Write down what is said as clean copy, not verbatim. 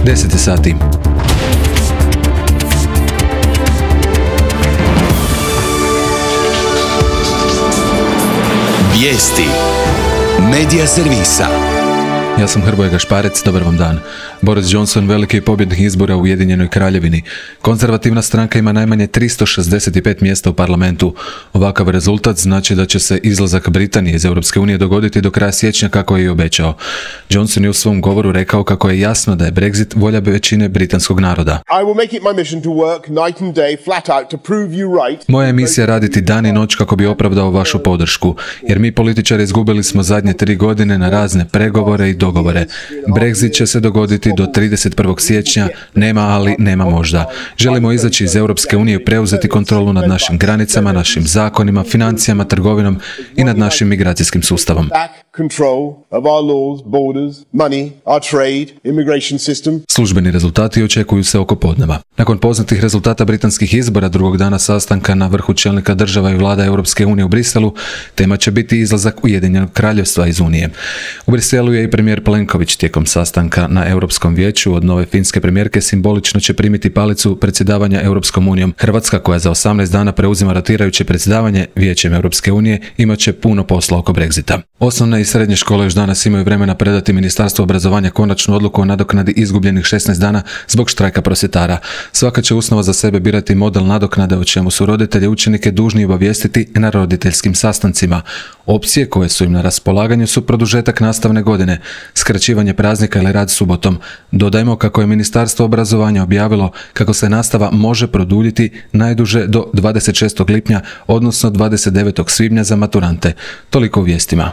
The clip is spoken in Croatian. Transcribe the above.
10 sati. Vijesti Medija servisa. Ja sam Hrvoje Gašparec, dobar vam dan. Boris Johnson veliki je pobjednik izbora u Ujedinjenoj Kraljevini. Konzervativna stranka ima najmanje 365 mjesta u parlamentu. Ovakav rezultat znači da će se izlazak Britanije iz Europske unije dogoditi do kraja siječnja kako je i obećao. Johnson je u svom govoru rekao kako je jasno da je Brexit volja većine britanskog naroda. Moja je misija raditi dan i noć kako bi opravdao vašu podršku, jer mi političari izgubili smo zadnje 3 godine na razne pregovore i dogovore. Brexit će se dogoditi do 31. siječnja, nema ali, nema možda. Želimo izaći iz Europske unije i preuzeti kontrolu nad našim granicama, našim zakonima, financijama, trgovinom i nad našim migracijskim sustavom. Službeni rezultati očekuju se oko podneva. Nakon poznatih rezultata britanskih izbora drugog dana sastanka na vrhu čelnika država i vlada Europske unije u Briselu, tema će biti izlazak Ujedinjenog Kraljevstva iz Unije. U Briselu je i premijer Plenković tijekom sastanka na Europskom vijeću od nove finske premijerke simbolično će primiti palicu predsjedavanja Europskom unijom. Hrvatska, koja za 18 dana preuzima rotirajuće predsjedavanje Vijećem Europske unije, imat će puno posla oko Brexita. Osnovne i srednje škole još danas imaju vremena predati Ministarstvu obrazovanja konačnu odluku o nadoknadi izgubljenih 16 dana zbog štrajka prosvjetara. Svaka će ustanova za sebe birati model nadoknade o čemu su roditelji učenike dužni obavijestiti na roditeljskim sastancima. Opcije koje su im na raspolaganju su produžetak nastavne godine, skraćivanje praznika ili rad subotom. Dodajmo kako je Ministarstvo obrazovanja objavilo kako se nastava može produljiti najduže do 26. lipnja, odnosno 29. svibnja za maturante. Toliko u vijestima.